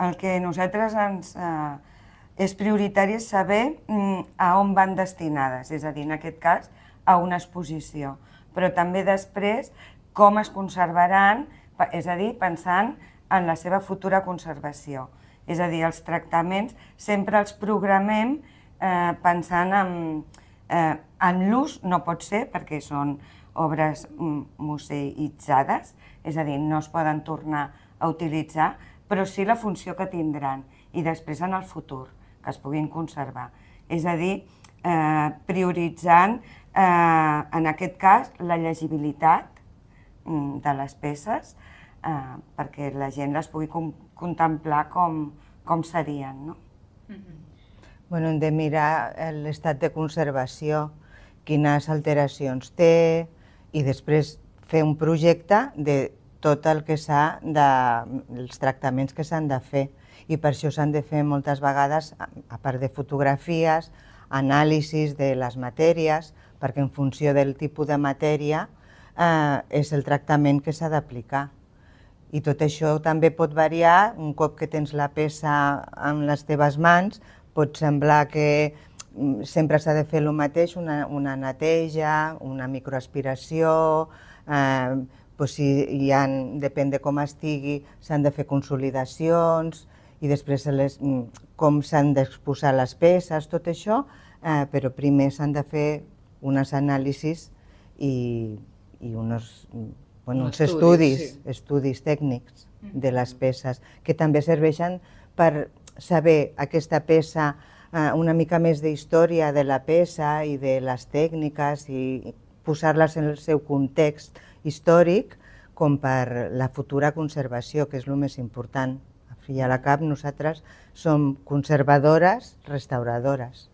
El que nosaltres és prioritari és saber a on van destinades, és a dir, en aquest cas, a una exposició, però també després com es conservaran, és a dir, pensant en la seva futura conservació. És a dir, els tractaments sempre els programem pensant en l'ús, no pot ser perquè són obres museïtzades, és a dir, no es poden tornar a utilitzar, però sí la funció que tindran i després en el futur, que es puguin conservar. És a dir, prioritzant, en aquest cas, la llegibilitat de les peces perquè la gent les pugui contemplar com serien. Hem de mirar l'estat de conservació, quines alteracions té i després fer un projecte de tot el que dels tractaments que s'han de fer. I per això s'han de fer moltes vegades, a part de fotografies, anàlisis de les matèries, perquè en funció del tipus de matèria és el tractament que s'ha d'aplicar. I tot això també pot variar, un cop que tens la peça en les teves mans, pot semblar que sempre s'ha de fer el mateix, una neteja, una microaspiració, depèn de com estigui, s'han de fer consolidacions i després com s'han d'exposar les peces, tot això, però primer s'han de fer unes anàlisis i uns estudis tècnics de les peces, que també serveixen per saber aquesta peça, una mica més d'història de la peça i de les tècniques i posar-les en el seu context històric com per la futura conservació, que és el més important. Al fi i a la cap nosaltres som conservadores, restauradores.